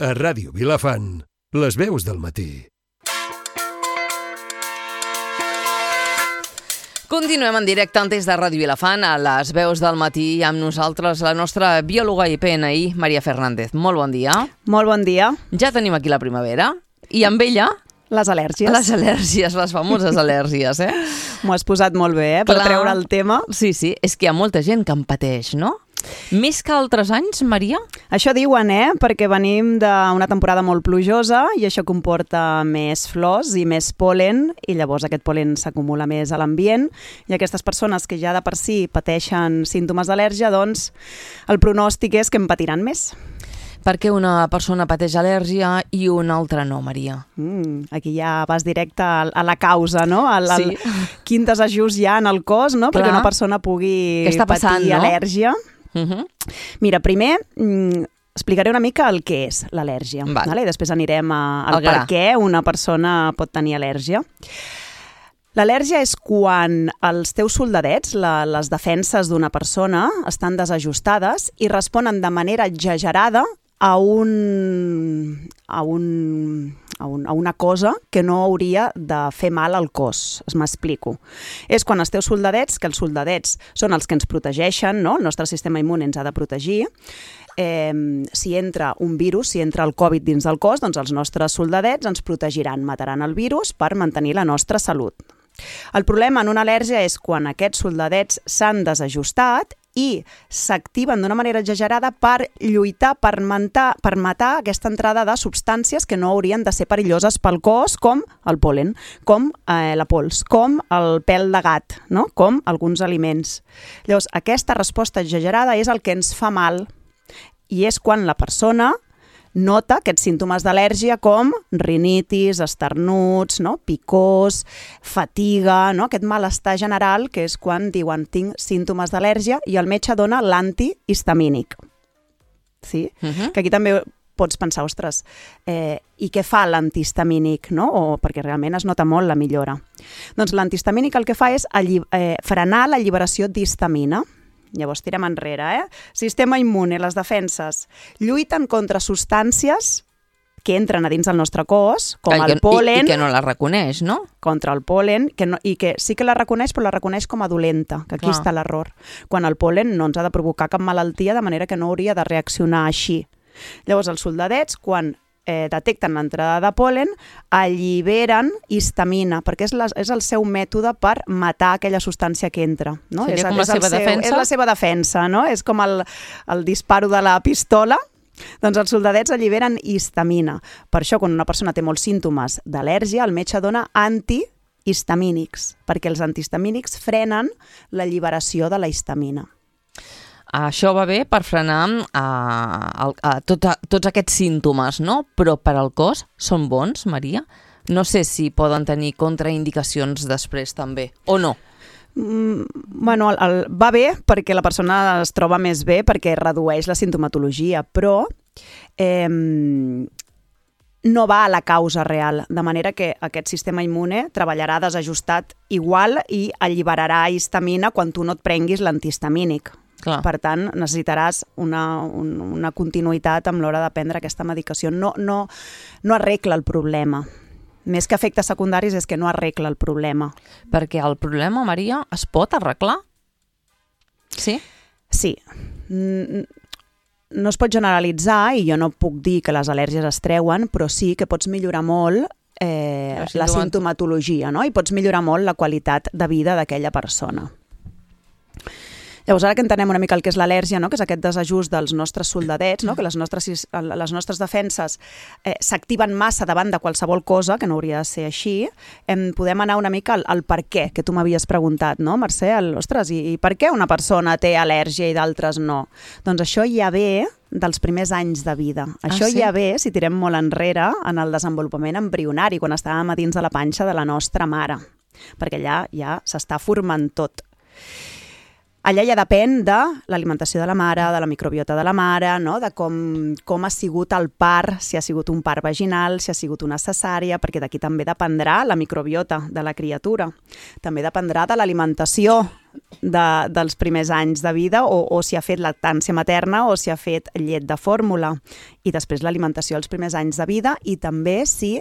A Ràdio Vilafant, les veus del matí. Continuem en directe des de Ràdio Vilafant a les veus del matí amb nosaltres la nostra biòloga i PNI, Maria Fernández. Molt bon dia. Molt bon dia. Ja tenim aquí la primavera i amb ella... Les al·lèrgies. Les al·lèrgies, les famoses al·lèrgies, M'ho has posat molt bé, per treure el tema. Sí, és que hi ha molta gent que en pateix, no? Més que altres anys, Maria? Això diuen, perquè venim d'una temporada molt plujosa i això comporta més flors i més pol·len i llavors aquest pol·len s'acumula més a l'ambient i aquestes persones que ja de per si pateixen símptomes d'al·lèrgia, doncs el pronòstic és que en patiran més. Per què una persona pateix al·lèrgia i una altra no, Maria? Aquí ja vas directe a la causa, no? Sí. Quin desajust hi ha en el cos, no? Perquè una persona pugui patir al·lèrgia. Mira, primer explicaré una mica el que és l'al·lèrgia. I després anirem al per què una persona pot tenir al·lèrgia. L'al·lèrgia és quan els teus soldadets, les defenses d'una persona, estan desajustades i responen de manera exagerada a una cosa que no hauria de fer mal al cos. M'explico. És quan els teus soldadets, que els soldadets són els que ens protegeixen, no? El nostre sistema immune ens ha de protegir. Si entra un virus, si entra el Covid dins del cos, doncs els nostres soldadets ens protegiran, mataran el virus per mantenir la nostra salut. El problema en una al·lèrgia és quan aquests soldadets s'han desajustat i s'activen d'una manera exagerada per lluitar, per matar aquesta entrada de substàncies que no haurien de ser perilloses pel cos, com el pol·len, com la pols, com el pèl de gat, no? Com alguns aliments. Llavors, aquesta resposta exagerada és el que ens fa mal i és quan la persona nota aquests símptomes d'al·lèrgia com rinitis, esternuts, picors, fatiga, aquest malestar general, que és quan diuen tinc símptomes d'al·lèrgia i el metge dona l'antihistamínic. Sí? Que aquí també pots pensar, ostres, i què fa l'antihistamínic? Perquè realment es nota molt la millora. Doncs l'antihistamínic el que fa és frenar l'alliberació d'histamina. Llavors tirem enrere, Sistema immune, les defenses, lluiten contra substàncies que entren a dins del nostre cos, com el pol·len... I que no la reconeix, no? Contra el pol·len, i que sí que la reconeix, però la reconeix com a dolenta, que aquí està l'error. Quan el pol·len no ens ha de provocar cap malaltia, de manera que no hauria de reaccionar així. Llavors els soldadets, quan detecten l'entrada de pol·len, alliberen histamina, perquè és el seu mètode per matar aquella substància que entra. Seria com la seva defensa? És la seva defensa, no? És com el disparo de la pistola. Doncs els soldadets alliberen histamina. Per això, quan una persona té molts símptomes d'al·lèrgia, el metge dona antihistamínics, perquè els antihistamínics frenen l'alliberació de la histamina. Això va bé per frenar tots aquests símptomes, no? Però per al cos són bons, Maria? No sé si poden tenir contraindicacions després també, o no? Bueno, va bé perquè la persona es troba més bé perquè redueix la simptomatologia, però no va a la causa real, de manera que aquest sistema immune treballarà desajustat igual i alliberarà histamina quan tu no et prenguis l'antihistamínic. Clar. Per tant, necessitaràs una continuïtat amb l'hora de prendre aquesta medicació. No arregla el problema. Més que efectes secundaris és que no arregla el problema. Perquè el problema, Maria, es pot arreglar? Sí? Sí. No es pot generalitzar i jo no puc dir que les al·lèrgies es treuen, però sí que pots millorar molt la simptomatologia, no? I pots millorar molt la qualitat de vida d'aquella persona. Llavors, ara que entenem una mica el que és l'al·lèrgia, que és aquest desajust dels nostres soldadets, que les nostres defenses s'activen massa davant de qualsevol cosa, que no hauria de ser així, podem anar una mica al per què, que tu m'havies preguntat, no, Mercè? Ostres, i per què una persona té al·lèrgia i d'altres no? Doncs això ja ve dels primers anys de vida. Això ja ve, si tirem molt enrere, en el desenvolupament embrionari, quan estàvem a dins de la panxa de la nostra mare, perquè allà ja s'està formant tot. Allà ja depèn de l'alimentació de la mare, de la microbiota de la mare, no? De com ha sigut el part, si ha sigut un part vaginal, si ha sigut una cesària, perquè d'aquí també dependrà la microbiota de la criatura. També dependrà de l'alimentació dels primers anys de vida o si ha fet lactància materna o si ha fet llet de fórmula. I després l'alimentació als primers anys de vida i també si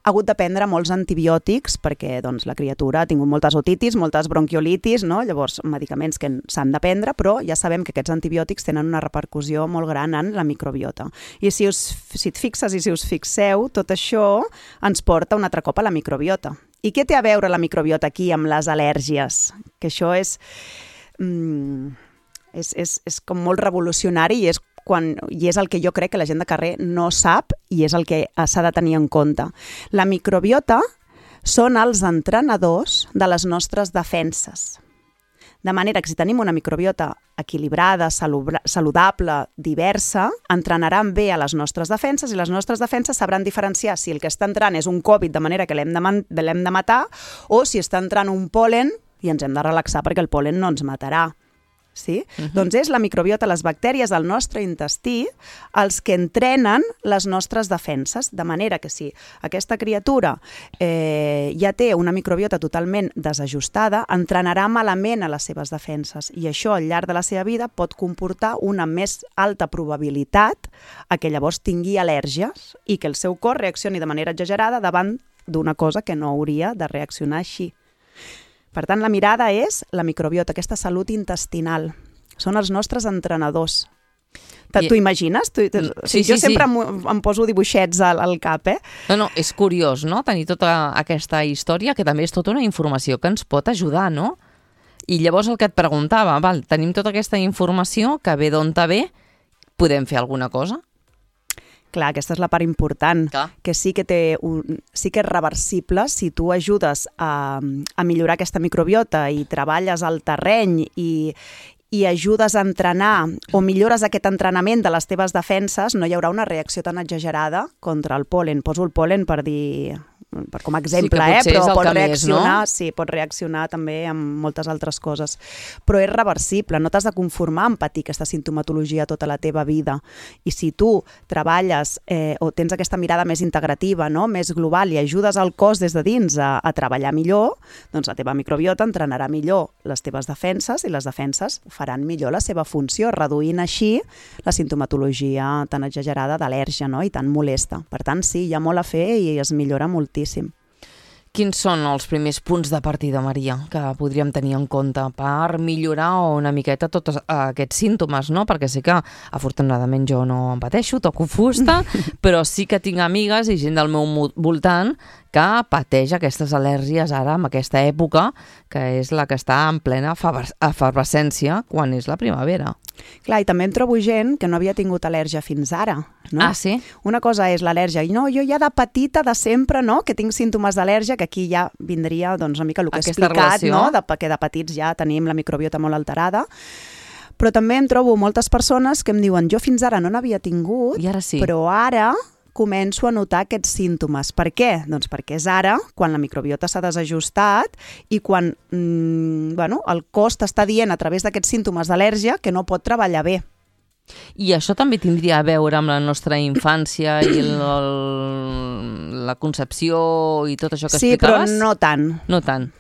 ha hagut de prendre molts antibiòtics perquè doncs, la criatura ha tingut moltes otitis, moltes bronquiolitis, no? Llavors medicaments que s'han de prendre, però ja sabem que aquests antibiòtics tenen una repercussió molt gran en la microbiota. I si et fixes i si us fixeu, tot això ens porta un altre cop a la microbiota. I què té a veure la microbiota aquí amb les al·lèrgies? Que això és com molt revolucionari i és el que jo crec que la gent de carrer no sap i és el que s'ha de tenir en compte. La microbiota són els entrenadors de les nostres defenses. De manera que si tenim una microbiota equilibrada, saludable, diversa, entrenaran bé a les nostres defenses i les nostres defenses sabran diferenciar si el que està entrant és un Covid de manera que l'hem de matar o si està entrant un pol·len i ens hem de relaxar perquè el pol·len no ens matarà. Sí? Doncs és la microbiota, les bactèries del nostre intestí, els que entrenen les nostres defenses, de manera que si aquesta criatura ja té una microbiota totalment desajustada, entrenarà malament a les seves defenses i això al llarg de la seva vida pot comportar una més alta probabilitat a que llavors tingui al·lèrgies i que el seu cos reaccioni de manera exagerada davant d'una cosa que no hauria de reaccionar així. Per tant, la mirada és la microbiota, aquesta salut intestinal. Són els nostres entrenadors. T'ho imagines? Jo sempre em poso dibuixets al cap, eh? No, és curiós, no?, tenir tota aquesta història, que també és tota una informació que ens pot ajudar, no? I llavors el que et preguntava, tenim tota aquesta informació que ve d'on ve, podem fer alguna cosa? Clar, aquesta és la part important, que sí que és reversible si tu ajudes a millorar aquesta microbiota i treballes al terreny i ajudes a entrenar o millores aquest entrenament de les teves defenses, no hi haurà una reacció tan exagerada contra el pol·len. Poso el pol·len com a exemple, però pot reaccionar, sí, pot reaccionar també amb moltes altres coses. Però és reversible, no t'has de conformar amb patir aquesta sintomatologia tota la teva vida. I si tu treballes o tens aquesta mirada més integrativa, no?, més global i ajudes el cos des de dins a treballar millor, doncs la teva microbiota entrenarà millor les teves defenses i les defenses faran millor la seva funció, reduint així la sintomatologia tan exagerada d'al·lèrgia, no?, i tan molesta. Per tant, sí, hi ha molt a fer i es millora moltíssim. Quins són els primers punts de partida, Maria, que podríem tenir en compte per millorar una miqueta tots aquests símptomes, no? Perquè sí que, afortunadament, jo no em pateixo, toco fusta, però sí que tinc amigues i gent del meu voltant que pateix aquestes al·lèrgies ara, en aquesta època, que és la que està en plena efervescència quan és la primavera. Clar, i també em trobo gent que no havia tingut al·lèrgia fins ara, no? Ah, sí? Una cosa és l'al·lèrgia, i no, jo ja de petita, de sempre, no?, que tinc símptomes d'al·lèrgia, que aquí ja vindria doncs, una mica el que he explicat, no?, que de petits ja tenim la microbiota molt alterada. Però també em trobo moltes persones que em diuen, jo fins ara no n'havia tingut, i ara sí, però ara començo a notar aquests símptomes. Per què? Doncs perquè és ara, quan la microbiota s'ha desajustat i quan el cos t'està dient a través d'aquests símptomes d'al·lèrgia que no pot treballar bé. I això també tindria a veure amb la nostra infància i la concepció i tot això que explicaves? Sí, però no tant. No tant.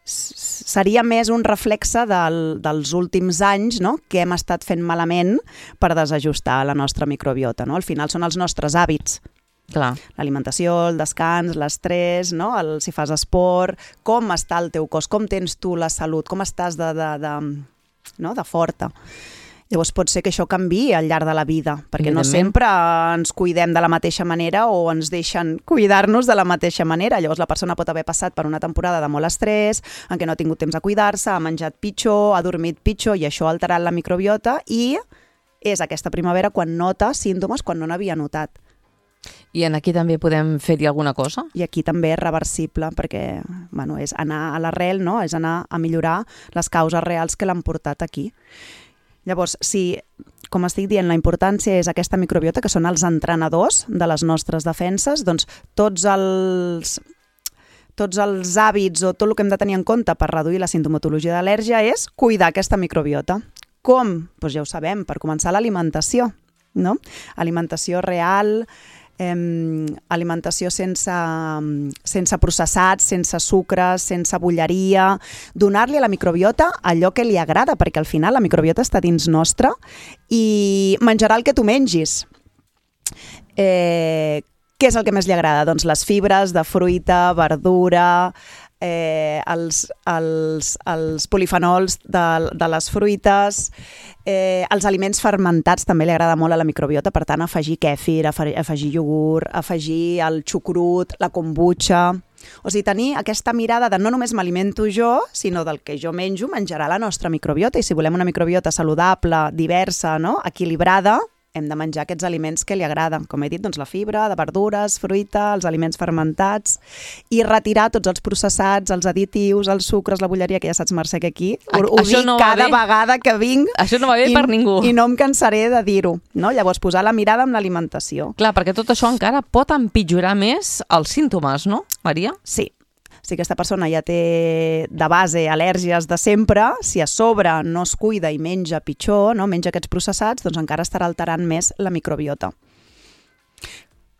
Seria més un reflexe dels últims anys, no?, que hem estat fent malament per desajustar la nostra microbiota, no? Al final són els nostres hàbits. Clar. L'alimentació, el descans, l'estrès, no?, si fas esport, com està el teu cos, com tens tu la salut, com estàs de forta. Llavors pot ser que això canviï al llarg de la vida, perquè no sempre ens cuidem de la mateixa manera o ens deixen cuidar-nos de la mateixa manera. Llavors la persona pot haver passat per una temporada de molt estrès, en què no ha tingut temps de cuidar-se, ha menjat pitjor, ha dormit pitjor i això ha alterat la microbiota i és aquesta primavera quan nota símptomes quan no n'havia notat. I aquí també podem fer-hi alguna cosa? I aquí també és reversible perquè és anar a l'arrel, no? És anar a millorar les causes reals que l'han portat aquí. Llavors, si, com estic dient, la importància és aquesta microbiota, que són els entrenadors de les nostres defenses, doncs tots tots els hàbits o tot el que hem de tenir en compte per reduir la sintomatologia d'al·lèrgia és cuidar aquesta microbiota. Com? Doncs ja ho sabem, per començar l'alimentació, no? Alimentació real, alimentació sense processats, sense sucres, sense bolleria, donar-li a la microbiota allò que li agrada, perquè al final la microbiota està dins nostra i menjarà el que tu mengis. Què és el que més li agrada? Doncs les fibres de fruita, verdura, els polifenols de les fruites, els aliments fermentats també li agrada molt a la microbiota, per tant afegir kèfir, afegir iogurt, afegir el xucrut, la kombucha. O sigui, tenir aquesta mirada de no només m'alimento jo, sinó del que jo menjo menjarà la nostra microbiota, i si volem una microbiota saludable, diversa, no? Equilibrada, hem de menjar aquests aliments que li agraden. Com he dit, doncs la fibra, de verdures, fruita, els aliments fermentats, i retirar tots els processats, els additius, els sucres, la bolleria, que ja saps, Mercè, que aquí ho dic cada vegada que vinc. Això no va bé per ningú. I no em cansaré de dir-ho, no? Llavors, posar la mirada en l'alimentació. Clar, perquè tot això encara pot empitjorar més els símptomes, no, Maria? Sí. Si aquesta persona ja té de base al·lèrgies de sempre, si a sobre no es cuida i menja pitjor, no? Menja aquests processats, doncs encara estarà alterant més la microbiota.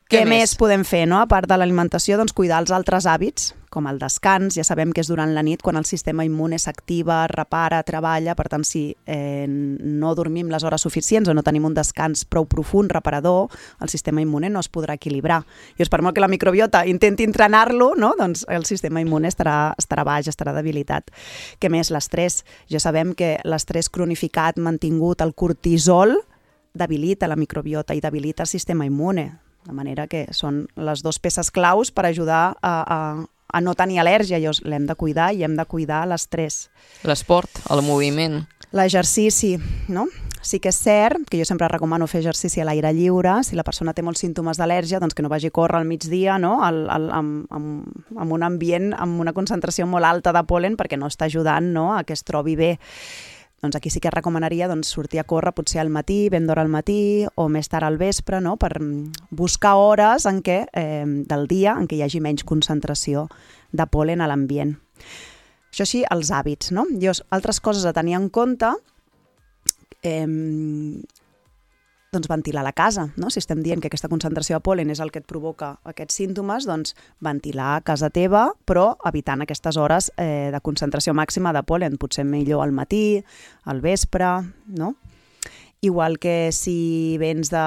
Què més podem fer, no? A part de l'alimentació, doncs cuidar els altres hàbits, com el descans. Ja sabem que és durant la nit quan el sistema immune s'activa, repara, treballa. Per tant, si no dormim les hores suficients o no tenim un descans prou profund, reparador, el sistema immune no es podrà equilibrar. I per molt que la microbiota intenti entrenar-lo, no? Doncs el sistema immune estarà baix, estarà debilitat. Què més? L'estrès. Ja sabem que l'estrès cronificat, mantingut, el cortisol, debilita la microbiota i debilita el sistema immune. De manera que són les dues peces claus per ajudar a no tenir al·lèrgia. L'hem de cuidar i hem de cuidar l'estrès. L'esport, el moviment. L'exercici, no? Sí que és cert que jo sempre recomano fer exercici a l'aire lliure. Si la persona té molts símptomes d'al·lèrgia, doncs que no vagi a córrer al migdia, no? En un ambient amb una concentració molt alta de pol·len, perquè no està ajudant, no? A que es trobi bé. Doncs aquí sí que recomanaria sortir a córrer potser al matí, ben d'hora al matí o més tard al vespre, no? Per buscar hores del dia en què hi hagi menys concentració de pol·len a l'ambient. Això sí, els hàbits, no? Altres coses a tenir en compte, doncs ventilar la casa, no? Si estem dient que aquesta concentració de pol·len és el que et provoca aquests símptomes, doncs ventilar a casa teva, però evitant aquestes hores de concentració màxima de pol·len, potser millor al matí, al vespre, no? Igual que si vens de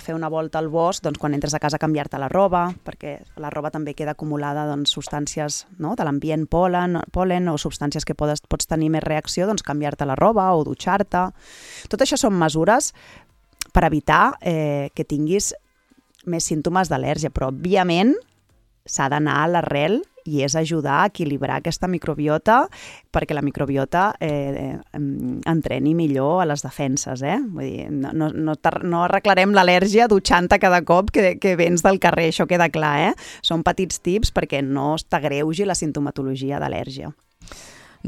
fer una volta al bosc, doncs quan entres a casa canviar-te la roba, perquè la roba també queda acumulada substàncies, no? De l'ambient pol·len o substàncies que pots tenir més reacció, doncs canviar-te la roba o dutxar-te. Tot això són mesures per evitar que tinguis més símptomes d'al·lèrgia, però òbviament s'ha d'anar a l'arrel i és ajudar a equilibrar aquesta microbiota perquè la microbiota entreni millor a les defenses. Vull dir, no arreglarem l'al·lèrgia dutxant-te cada cop que vens del carrer, això queda clar. Són petits tips perquè no t'agreugi la sintomatologia d'al·lèrgia.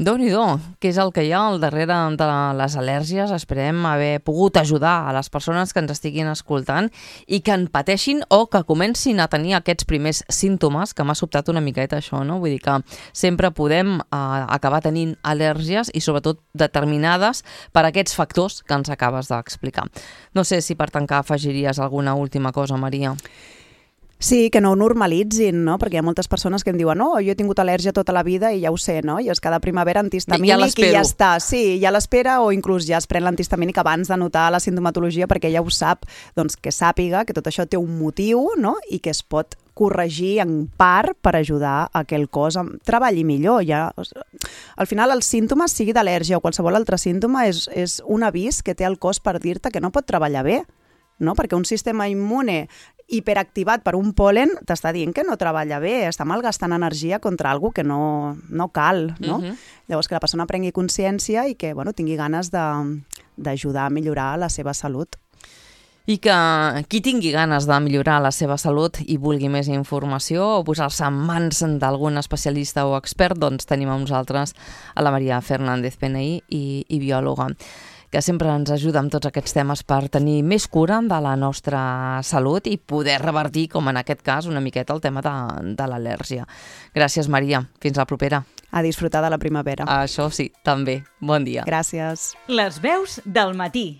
Déu-n'hi-do, què és el que hi ha al darrere de les al·lèrgies? Esperem haver pogut ajudar a les persones que ens estiguin escoltant i que en pateixin o que comencin a tenir aquests primers símptomes, que m'ha sobtat una miqueta això, no? Vull dir que sempre podem acabar tenint al·lèrgies i sobretot determinades per aquests factors que ens acabes d'explicar. No sé si per tancar afegiries alguna última cosa, Maria. Sí, que no ho normalitzin, no? Perquè hi ha moltes persones que em diuen no, jo he tingut al·lèrgia tota la vida i ja ho sé, no? I és cada primavera antihistamínic i ja està. Sí, ja l'espera o inclús ja es pren l'antihistamínic abans de notar la sintomatologia perquè ja ho sap, doncs que sàpiga que tot això té un motiu, no? I que es pot corregir en part per ajudar a que el cos treballi millor. Al final, els símptomes, sigui d'al·lèrgia o qualsevol altre símptoma, és un avís que té el cos per dir-te que no pot treballar bé, no? Perquè un sistema immune hiperactivat per un pol·len t'està dient que no treballa bé, està malgastant energia contra alguna que no cal, no? Llavors que la persona prengui consciència i que tingui ganes d'ajudar a millorar la seva salut. I que qui tingui ganes de millorar la seva salut i vulgui més informació o posar-se en mans d'algun especialista o expert, doncs tenim amb nosaltres a la Maria Fernández Peney i biòloga. que sempre ens ajuda amb tots aquests temes per tenir més cura de la nostra salut i poder revertir, com en aquest cas, una miqueta el tema de l'al·lèrgia. Gràcies, Maria. Fins la propera. A disfrutar de la primavera. Això sí, també. Bon dia. Gràcies. Les veus del matí.